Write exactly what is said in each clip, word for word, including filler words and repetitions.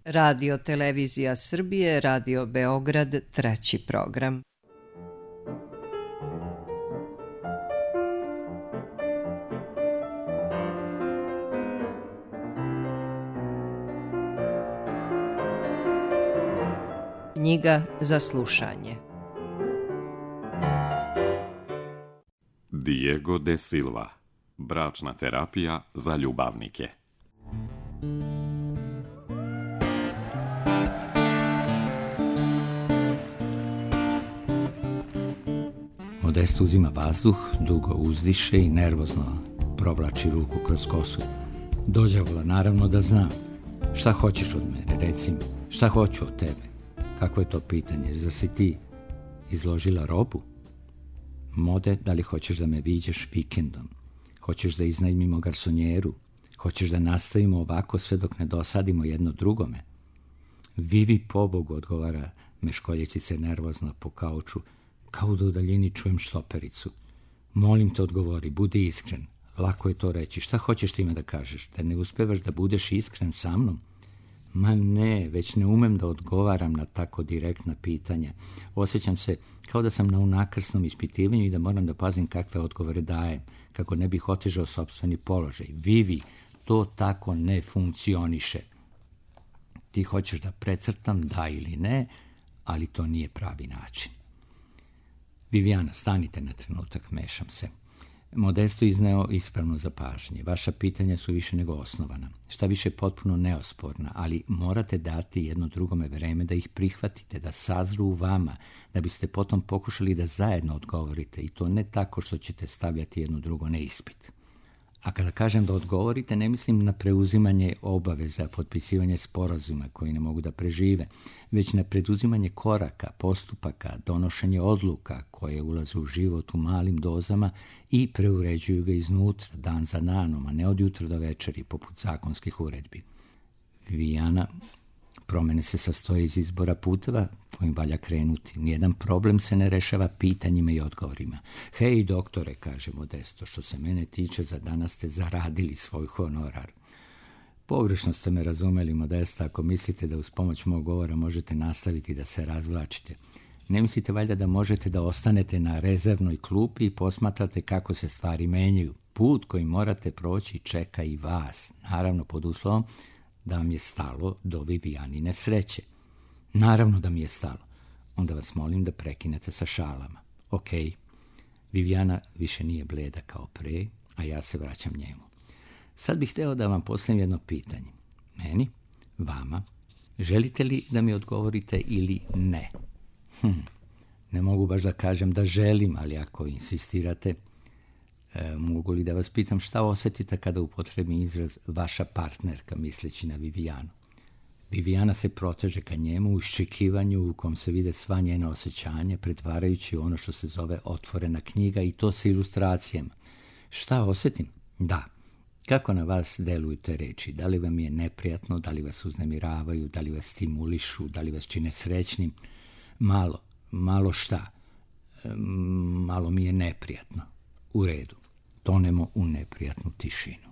Radio Televizija Srbije, Radio Beograd, treći program. Knjiga za slušanje. Diego de Silva. Bračna terapija za ljubavnike. Modesto uzima vazduh, dugo uzdiše i nervozno provlači ruku kroz kosu. Dođavola naravno da znam. Šta hoćeš od mene, reci mi. Šta hoću od tebe? Kako je to pitanje? Zar si ti izložila robu? Mode, da li hoćeš da me viđeš vikendom? Hoćeš da iznajmimo garsonjeru? Hoćeš da nastavimo ovako sve dok ne dosadimo jedno drugome? Vivi pobogu, odgovara meškoljeći se nervozno po kauču, kao da u daljini čujem štopericu. Molim te, odgovori, budi iskren. Lako je to reći. Šta hoćeš time da kažeš? Da ne uspevaš da budeš iskren sa mnom? Ma ne, već ne umem da odgovaram na tako direktna pitanja. Osjećam se kao da sam na unakrsnom ispitivanju i da moram da pazim kakve odgovore dajem, kako ne bih otežao sopstveni položaj. Vivi, to tako ne funkcioniše. Ti hoćeš da precrtam, da ili ne, ali to nije pravi način. Viviana, stanite na trenutak, mešam se. Modesto izneo ispravno zapažanje. Vaša pitanja su više nego osnovana. Šta više potpuno neosporna, ali morate dati jedno drugome vreme da ih prihvatite, da sazru u vama, da biste potom pokušali da zajedno odgovorite i to ne tako što ćete stavljati jedno drugo na ispit. A kada kažem da odgovorite, ne mislim na preuzimanje obaveza, potpisivanje sporazuma koji ne mogu da prežive, već na preduzimanje koraka, postupaka, donošenje odluka koje ulaze u život u malim dozama i preuređuju ga iznutra, dan za danom, a ne od jutra do večeri, poput zakonskih uredbi. Viviana, promene se sastoje iz izbora puteva kojim valja krenuti. Nijedan problem se ne rešava pitanjima i odgovorima. Hej, doktore, kaže Modesto, što se mene tiče, za danas ste zaradili svoj honorar. Pogrešno ste me razumeli, Modesta, ako mislite da uz pomoć mog govora možete nastaviti da se razvlačite. Ne mislite valjda da možete da ostanete na rezervnoj klupi i posmatrate kako se stvari menjaju. Put koji morate proći čeka i vas, naravno pod uslovom da vam je stalo do Vivijanine sreće. Naravno da mi je stalo. Onda vas molim da prekinete sa šalama. Ok. Viviana više nije bleda kao pre, a ja se vraćam njemu. Sad bih hteo da vam postavim jedno pitanje. Meni? Vama? Želite li da mi odgovorite ili ne? Hm. Ne mogu baš da kažem da želim, ali ako insistirate, E, mogu li da vas pitam šta osjetite kada upotrebi izraz vaša partnerka, misleći na Vivijanu? Viviana se proteže ka njemu u iščekivanju u kom se vide sva njena osjećanja, pretvarajući ono što se zove otvorena knjiga i to sa ilustracijama. Šta osjetim? Da. Kako na vas deluju te reči? Da li vam je neprijatno, da li vas uznemiravaju, da li vas stimulišu, da li vas čine srećnim? Malo, malo šta? E, malo mi je neprijatno. U redu. Tonemo u neprijatnu tišinu.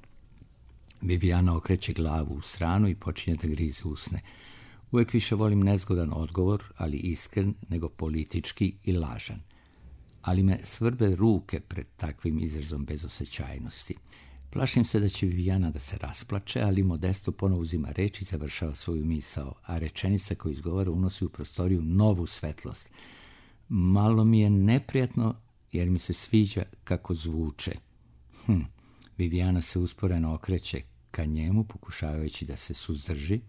Viviana okreće glavu u stranu i počinje da grize usne. Uvijek više volim nezgodan odgovor, ali iskren, nego politički i lažan. Ali me svrbe ruke pred takvim izrazom bezosećajnosti. Plašim se da će Viviana da se rasplače, ali Modesto ponovo uzima reč i završava svoju misao, a rečenica koju izgovara unosi u prostoriju novu svetlost. Malo mi je neprijatno jer mi se sviđa kako zvuče. Hm. Viviana se usporeno okreće ka njemu, pokušavajući da se suzdrži.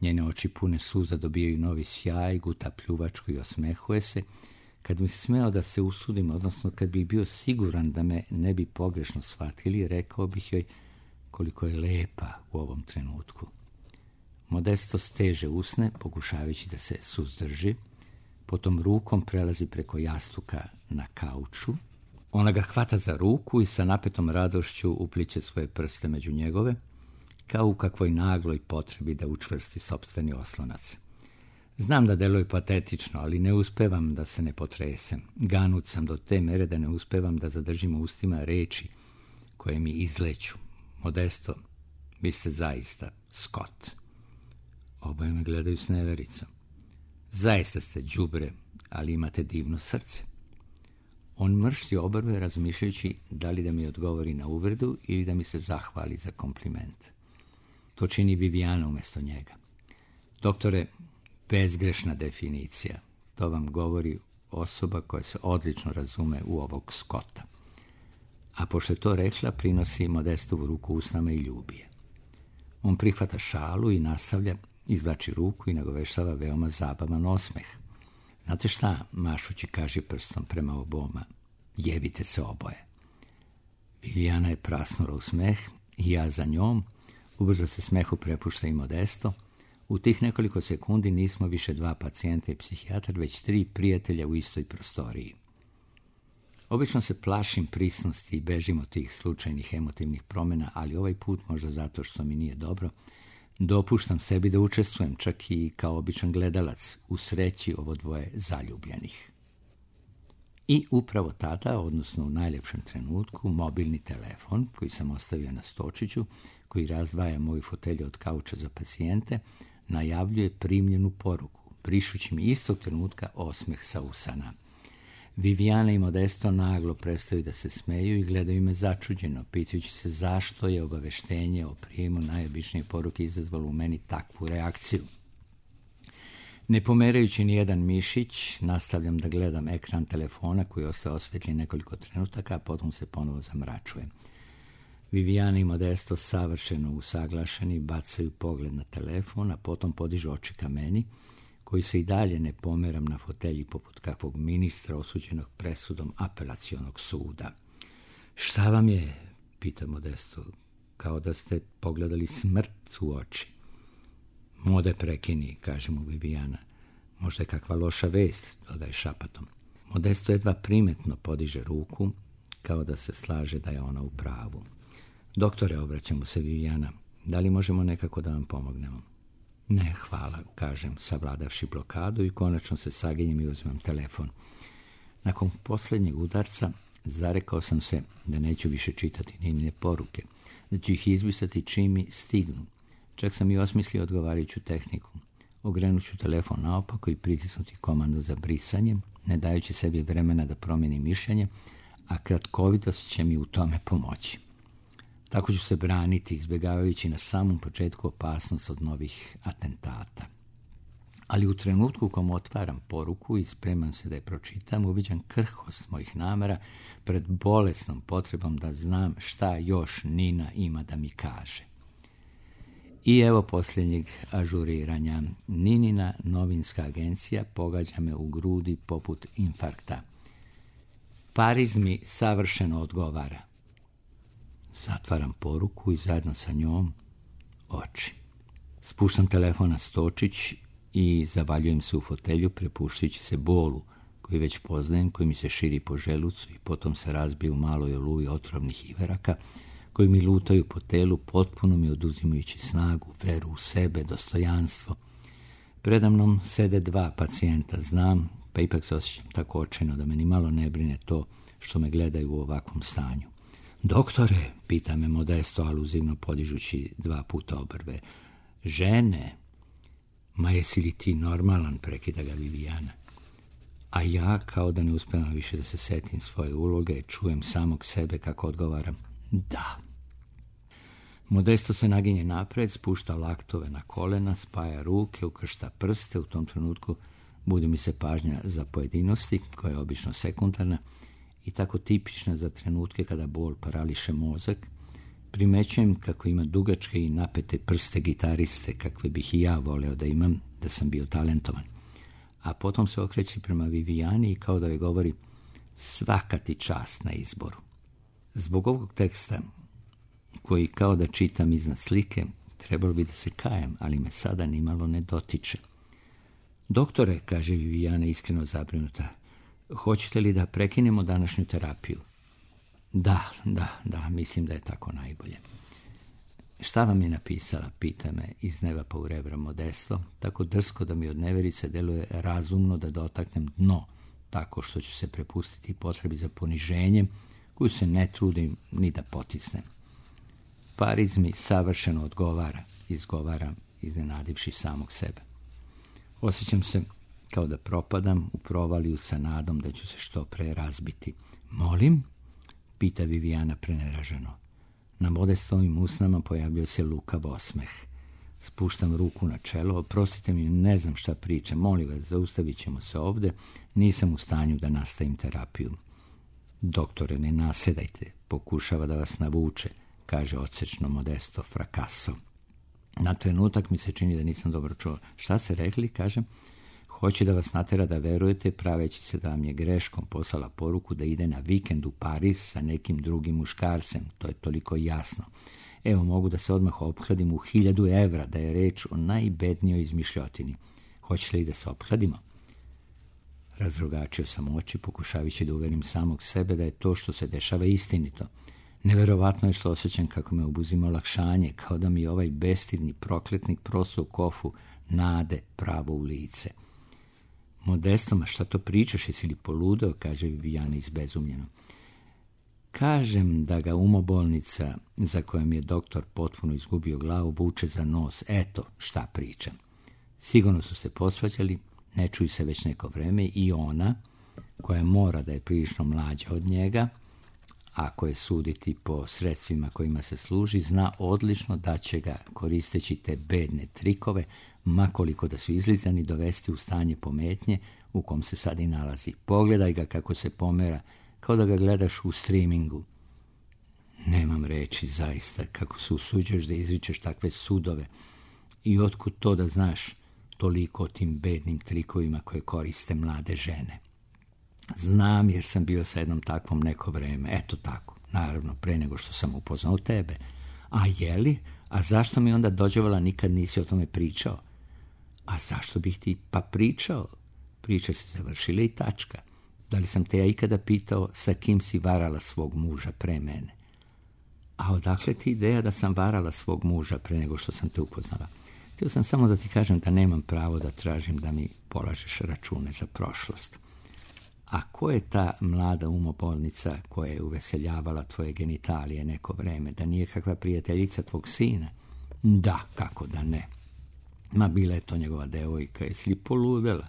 Njene oči pune suza dobijaju novi sjaj, guta pljuvačku i osmehuje se. Kad bih smeo da se usudim, odnosno kad bih bio siguran da me ne bi pogrešno shvatili, rekao bih joj koliko je lepa u ovom trenutku. Modesto steže usne, pokušavajući da se suzdrži. Potom rukom prelazi preko jastuka na kauču. Ona ga hvata za ruku i sa napetom radošću upliće svoje prste među njegove, kao u kakvoj nagloj potrebi da učvrsti sopstveni oslonac. Znam da deluje patetično, ali ne uspevam da se ne potresem. Ganut sam do te mere da ne uspevam da zadržim u ustima reči koje mi izleću. Modesto, vi ste zaista Scott. Oboje me gledaju s nevericom. Zaista ste đubre, ali imate divno srce. On mršti obrve razmišljajući da li da mi odgovori na uvredu ili da mi se zahvali za kompliment. To čini Vivijana umjesto njega. Doktore, bezgrešna definicija. To vam govori osoba koja se odlično razume u ovog Scotta. A pošto je to rekla, prinosi Modestovu ruku usnama i ljubi je. On prihvata šalu i nastavlja, izvlači ruku i nagoveštava veoma zabavan osmeh. Znate šta, mašući kaže prstom prema oboma, jebite se oboje. Vivijana je prasnula u smeh i ja za njom. Ubrzo se smehu prepušta i Modesto. U tih nekoliko sekundi nismo više dva pacijenta i psihijatar, već tri prijatelja u istoj prostoriji. Obično se plašim prisnosti i bežim od tih slučajnih emotivnih promjena, ali ovaj put, možda zato što mi nije dobro, dopuštam sebi da učestvujem, čak i kao običan gledalac, u sreći ovo dvoje zaljubljenih. I upravo tada, odnosno u najljepšem trenutku, mobilni telefon, koji sam ostavio na stočiću, koji razdvaja moju fotelju od kauča za pacijente, najavljuje primljenu poruku, brišući mi istog trenutka osmeh sa usana. Vivijana i Modesto naglo prestaju da se smeju i gledaju me začuđeno, pitajući se zašto je obaveštenje o prijemu najobičnije poruke izazvalo u meni takvu reakciju. Ne pomerajući ni jedan mišić, nastavljam da gledam ekran telefona koji ostaje osvetljen nekoliko trenutaka, a potom se ponovo zamračuje. Vivijana i Modesto savršeno usaglašeni bacaju pogled na telefon, a potom podižu oči ka meni, koji se i dalje ne pomeram na fotelji poput kakvog ministra osuđenog presudom apelacionog suda. Šta vam je, pita Modesto, kao da ste pogledali smrt u oči. Mode prekini, kaže mu Vivijana. Možda je kakva loša vest, dodaje šapatom. Modesto jedva primetno podiže ruku, kao da se slaže da je ona u pravu. Doktore, obraća mu se Vivijana, da li možemo nekako da vam pomognemo? Ne, hvala, kažem, savladavši blokadu i konačno se saginjem i uzmem telefon. Nakon posljednjeg udarca zarekao sam se da neću više čitati Ninine poruke, da ću ih izbrisati čim mi stignu. Čak sam i osmislio odgovarajuću tehniku. Ogrenut ću telefon naopako i pritisnuti komandu za brisanje, ne dajući sebi vremena da promijenim mišljenje, a kratkovitost će mi u tome pomoći. Tako ću se braniti, izbjegavajući na samom početku opasnost od novih atentata. Ali u trenutku u kom otvaram poruku i spremam se da je pročitam, uviđam krhkost mojih namera pred bolesnom potrebom da znam šta još Nina ima da mi kaže. I evo posljednjeg ažuriranja. Ninina novinska agencija pogađa me u grudi poput infarkta. Pariz mi savršeno odgovara. Zatvaram poruku i zajedno sa njom oči. Spuštam telefon na stočić i zavaljujem se u fotelju, prepuštajući se bolu koji već poznajem, koji mi se širi po želucu i potom se razbije u maloj oluji otrovnih iveraka koji mi lutaju po telu, potpuno mi oduzimajući snagu, veru u sebe, dostojanstvo. Predamnom sede dva pacijenta, znam, pa ipak se osjećam tako očajno da me ni malo ne brine to što me gledaju u ovakvom stanju. Doktore, pita me Modesto, aluzivno podižući dva puta obrve. Žene? Ma jesi li ti normalan, prekida ga Vivijana. A ja, kao da ne uspijem više da se setim svoje uloge, čujem samog sebe kako odgovaram. Da. Modesto se naginje napred, spušta laktove na kolena, spaja ruke, ukršta prste. U tom trenutku budi mi se pažnja za pojedinosti, koja je obično sekundarna i tako tipična za trenutke kada bol parališe mozak. Primećujem kako ima dugačke i napete prste gitariste, kakve bih i ja voleo da imam, da sam bio talentovan. A potom se okreće prema Vivijani i kao da joj govori svaka ti čast na izboru. Zbog ovog teksta, koji kao da čitam iznad slike, trebalo bi da se kajem, ali me sada nimalo ne dotiče. Doktore, kaže Vivijana iskreno zabrinuta, hoćete li da prekinemo današnju terapiju? Da, da, da, mislim da je tako najbolje. Šta vam je napisala, pita me iz neba pa u rebra Modesto, tako drsko da mi od neverice deluje razumno da dotaknem dno, tako što ću se prepustiti potrebi za poniženjem, koju se ne trudim ni da potisnem. Pariz mi savršeno odgovara, izgovaram iznenadivši samog sebe. Osjećam se kao da propadam u provaliju sa nadom da ću se što pre razbiti. Molim? Pita Vivijana preneraženo. Na Modestovim usnama pojavljuje se lukav osmeh. Spuštam ruku na čelo, oprostite mi, ne znam šta pričam, molim vas, zaustavit ćemo se ovde, nisam u stanju da nastavim terapiju. Doktore, ne nasedajte, pokušava da vas navuče, kaže odsečno Modesto frakaso. Na trenutak mi se čini da nisam dobro čuo. Šta ste rekli, kažem? Hoće da vas natera da verujete, praveći se da vam je greškom poslala poruku da ide na vikend u Pariz sa nekim drugim muškarcem. To je toliko jasno. Evo, mogu da se odmah ophladim u hiljadu evra, da je reč o najbednijoj izmišljotini. Hoće li da se opladimo? Razrogačio sam oči, pokušavajući da uverim samog sebe da je to što se dešava istinito. Neverovatno je što osjećam kako me obuzima olakšanje, kao da mi ovaj bestidni prokletnik prosao u kofu nade pravo u lice. Modesto, ma šta to pričaš, jesi li poludeo, kaže Vivijana izbezumljeno. Kažem da ga umobolnica, za kojom je doktor potpuno izgubio glavu, vuče za nos. Eto šta pričam. Sigurno su se posvađali, ne čuju se već neko vreme i ona, koja mora da je prilično mlađa od njega, ako je suditi po sredstvima kojima se služi, zna odlično da će ga, koristeći te bedne trikove, makoliko da su izlizani, dovesti u stanje pometnje u kom se sad i nalazi. Pogledaj ga kako se pomera, kao da ga gledaš u streamingu. Nemam reči, zaista, kako se usuđuješ da izričeš takve sudove i otkud to da znaš toliko o tim bednim trikovima koje koriste mlade žene. Znam, jer sam bio sa jednom takvom neko vreme, eto tako, naravno, pre nego što sam upoznao tebe. A jeli? A zašto mi onda dođevala nikad nisi o tome pričao? A zašto bih ti pa pričao? Priča se završila i tačka. Da li sam te ja ikada pitao sa kim si varala svog muža pre mene? A odakle ti ideja da sam varala svog muža pre nego što sam te upoznala? Htio sam samo da ti kažem da nemam pravo da tražim da mi polažeš račune za prošlost. A ko je ta mlada umobolnica koja je uveseljavala tvoje genitalije neko vreme? Da nije kakva prijateljica tvog sina? Da, kako da ne. Ma bila je to njegova devojka, jesi li poludela?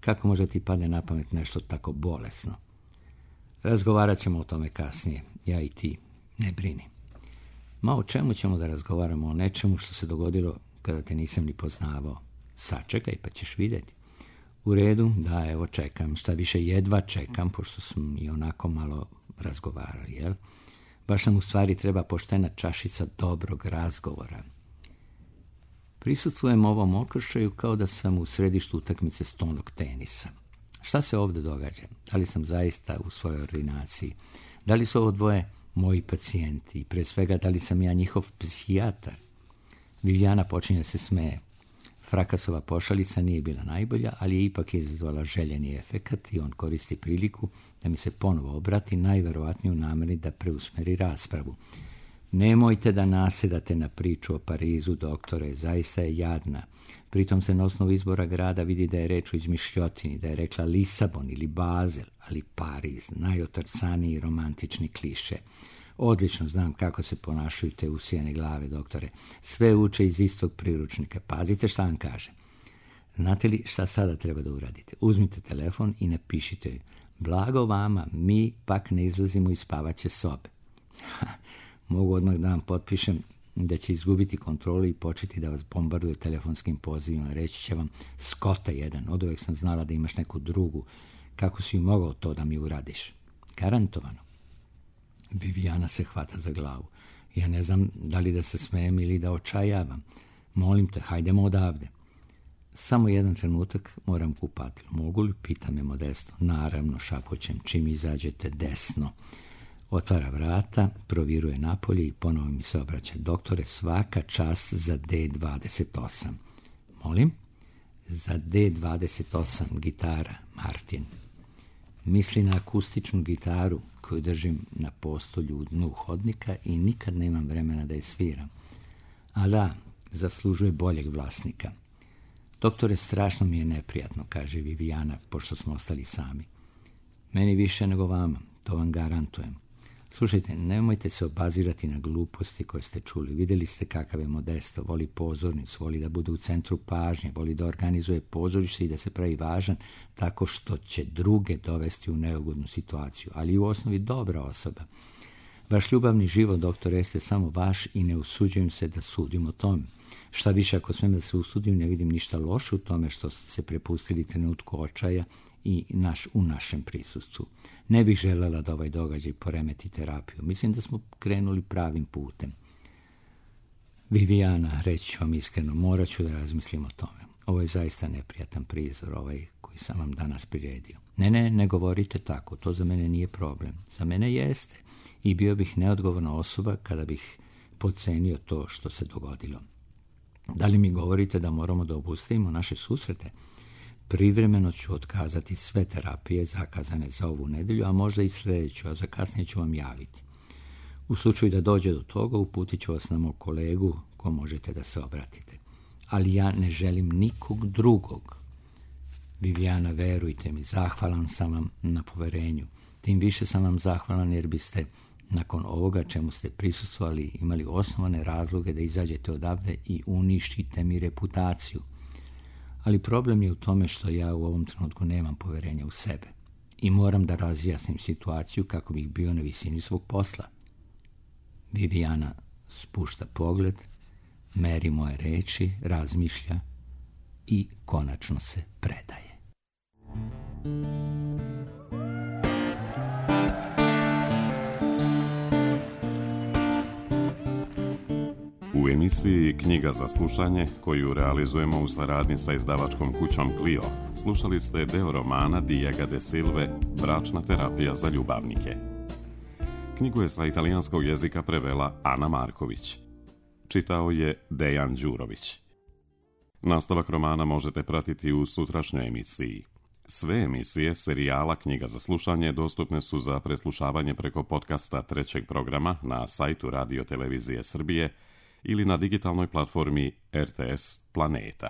Kako može ti padne na pamet nešto tako bolesno? Razgovarat ćemo o tome kasnije, ja i ti, ne brini. Ma o čemu ćemo da razgovaramo? O nečemu što se dogodilo kada te nisam ni poznavao. Sačekaj pa ćeš vidjeti. U redu, da, evo čekam, šta više jedva čekam, pošto smo i onako malo razgovarali, jel? Baš nam u stvari treba poštena čašica dobrog razgovora. Prisustvujem ovom okršaju kao da sam u središtu utakmice stonog tenisa. Šta se ovdje događa? Da li sam zaista u svojoj ordinaciji? Da li su ovo dvoje moji pacijenti? I pre svega, da li sam ja njihov psihijatar? Vivijana počinje se smeje. Frakasova pošalica nije bila najbolja, ali je ipak izazvala željeni efekat i on koristi priliku da mi se ponovo obrati, najverovatnije u nameri da preusmeri raspravu. Nemojte da nasedate na priču o Parizu, doktore, zaista je jadna. Pritom se na osnovu izbora grada vidi da je reč o izmišljotini, da je rekla Lisabon ili Bazel, ali Pariz, najotrcaniji romantični kliše. Odlično znam kako se ponašaju te usijane glave, doktore. Sve uče iz istog priručnika. Pazite šta vam kaže. Znate li šta sada treba da uradite? Uzmite telefon i napišite joj. Blago vama, mi pak ne izlazimo iz spavaće sobe. Ha, mogu odmah da vam potpišem da će izgubiti kontrolu i početi da vas bombarduje telefonskim pozivima. Reći će vam, skota jedan, od uvek sam znala da imaš neku drugu. Kako si mogao to da mi uradiš? Garantovano. Vivijana se hvata za glavu. Ja ne znam da li da se smijem ili da očajavam. Molim te, hajdemo odavde. Samo jedan trenutak, moram kupati. Mogu li? Pita me Modesto. Naravno, šapoćem, čim izađete desno. Otvara vrata, proviruje napolje i ponovo mi se obraća. Doktore, svaka čast za D dvadeset osam. Molim? Za D dvadeset osam, gitara, Martin. Misli na akustičnu gitaru koju držim na postolju u dnu hodnika i nikad nemam vremena da je sviram. A da, zaslužuje boljeg vlasnika. Doktore, strašno mi je neprijatno, kaže Vivijana, pošto smo ostali sami. Meni više nego vama, to vam garantujem. Slušajte, nemojte se obazirati na gluposti koje ste čuli. Vidjeli ste kakav je Modesto, voli pozornicu, voli da bude u centru pažnje, voli da organizuje pozorište i da se pravi važan tako što će druge dovesti u neugodnu situaciju, ali i u osnovi dobra osoba. Vaš ljubavni život, doktor, jeste samo vaš i ne usuđujem se da sudim o tome. Šta više, ako smem da se usudim, ne vidim ništa loše u tome što ste se prepustili trenutku očaja i naš, u našem prisustvu. Ne bih željela da ovaj događaj poremeti terapiju. Mislim da smo krenuli pravim putem. Viviana, reći ću vam iskreno, morat ću da razmislim o tome. Ovo je zaista neprijatan prizor, ovaj koji sam vam danas priredio. Ne, ne, ne govorite tako, to za mene nije problem. Za mene jeste i bio bih neodgovorna osoba kada bih podcenio to što se dogodilo. Da li mi govorite da moramo da obustavimo naše susrete? Privremeno ću otkazati sve terapije zakazane za ovu nedelju, a možda i sljedeću, a za kasnije ću vam javiti. U slučaju da dođe do toga, uputit ću vas na mog kolegu ko možete da se obratite. Ali ja ne želim nikog drugog. Viviana, verujte mi, zahvalan sam vam na poverenju. Tim više sam vam zahvalan jer biste nakon ovoga čemu ste prisustvovali imali osnovane razloge da izađete odavde i uništite mi reputaciju. Ali problem je u tome što ja u ovom trenutku nemam poverenja u sebe i moram da razjasnim situaciju kako bih bio na visini svog posla. Viviana spušta pogled, meri moje reči, razmišlja i konačno se predaje. U emisiji Knjiga za slušanje, koju realizujemo u saradnji sa izdavačkom kućom Clio, slušali ste deo romana Diego de Silve Bračna terapija za ljubavnike. Knjigu je sa italijanskog jezika prevela Ana Marković. Čitao je Dejan Đurović. Nastavak romana možete pratiti u sutrašnjoj emisiji. Sve emisije serijala Knjiga za slušanje dostupne su za preslušavanje preko podcasta trećeg programa na sajtu Radio Televizije Srbije ili na digitalnoj platformi R T S Planeta.